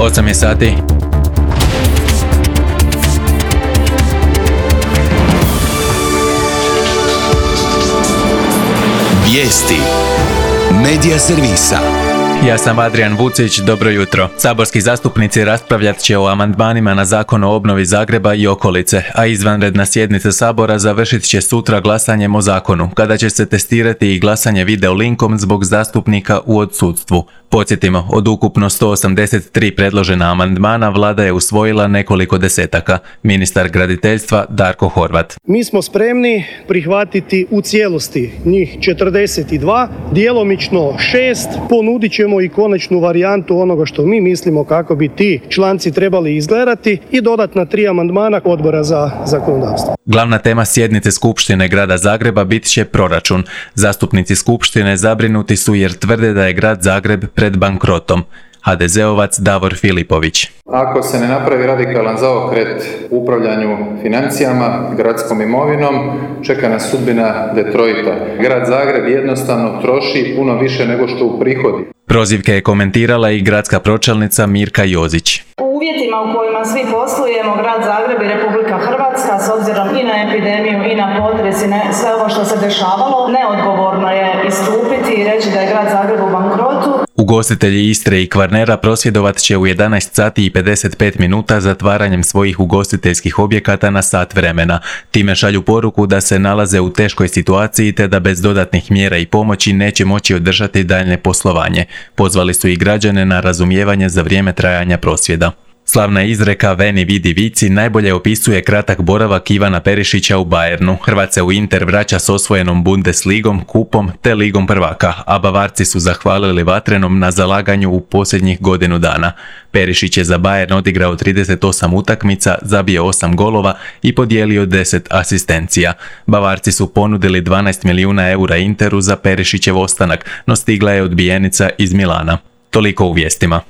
8 je sati. Vijesti Medija servisa. Ja sam Adrian Vucić, dobro jutro. Saborski zastupnici raspravljat će o amandmanima na Zakon o obnovi Zagreba i okolice, a izvanredna sjednica Sabora završit će sutra glasanjem o zakonu, kada će se testirati i glasanje video linkom zbog zastupnika u odsustvu. Podsjetimo, od ukupno 183 predložena amandmana vlada je usvojila nekoliko desetaka. Ministar graditeljstva Darko Horvat. Mi smo spremni prihvatiti u cijelosti njih 42, djelomično 6, ponudit ćemo i konačnu varijantu onoga što mi mislimo kako bi ti članci trebali izgledati i dodatna 3 amandmana Odbora za zakonodavstvo. Glavna tema sjednice Skupštine Grada Zagreba bit će proračun. Zastupnici Skupštine zabrinuti su jer tvrde da je Grad Zagreb pred bankrotom. HDZ-ovac Davor Filipović. Ako se ne napravi radikalan zaokret u upravljanju financijama, gradskom imovinom, čeka nas sudbina Detroita. Grad Zagreb jednostavno troši puno više nego što uprihodi. Prozivke je komentirala i gradska pročelnica Mirka Jozić. U uvjetima u kojima svi poslujemo, Grad Zagreb i Republika Hrvatska, s obzirom i na epidemiju i na potres i na sve ovo što se dešavalo, neodgovorno je istupiti i reći da je Grad Zagreb u bankrotu. Ugostitelji Istre i Kvarnera prosvjedovat će u 11 sati i 55 minuta zatvaranjem svojih ugostiteljskih objekata na sat vremena. Time šalju poruku da se nalaze u teškoj situaciji te da bez dodatnih mjera i pomoći neće moći održati daljnje poslovanje. Pozvali su i građane na razumijevanje za vrijeme trajanja prosvjeda. Slavna izreka Veni vidi vici najbolje opisuje kratak boravak Ivana Perišića u Bayernu. Hrvat se u Inter vraća s osvojenom Bundesligom, kupom te ligom prvaka, a Bavarci su zahvalili Vatrenom na zalaganju u posljednjih godinu dana. Perišić je za Bayern odigrao 38 utakmica, zabio 8 golova i podijelio 10 asistencija. Bavarci su ponudili 12 milijuna eura Interu za Perišićev ostanak, no stigla je odbijenica iz Milana. Toliko u vijestima.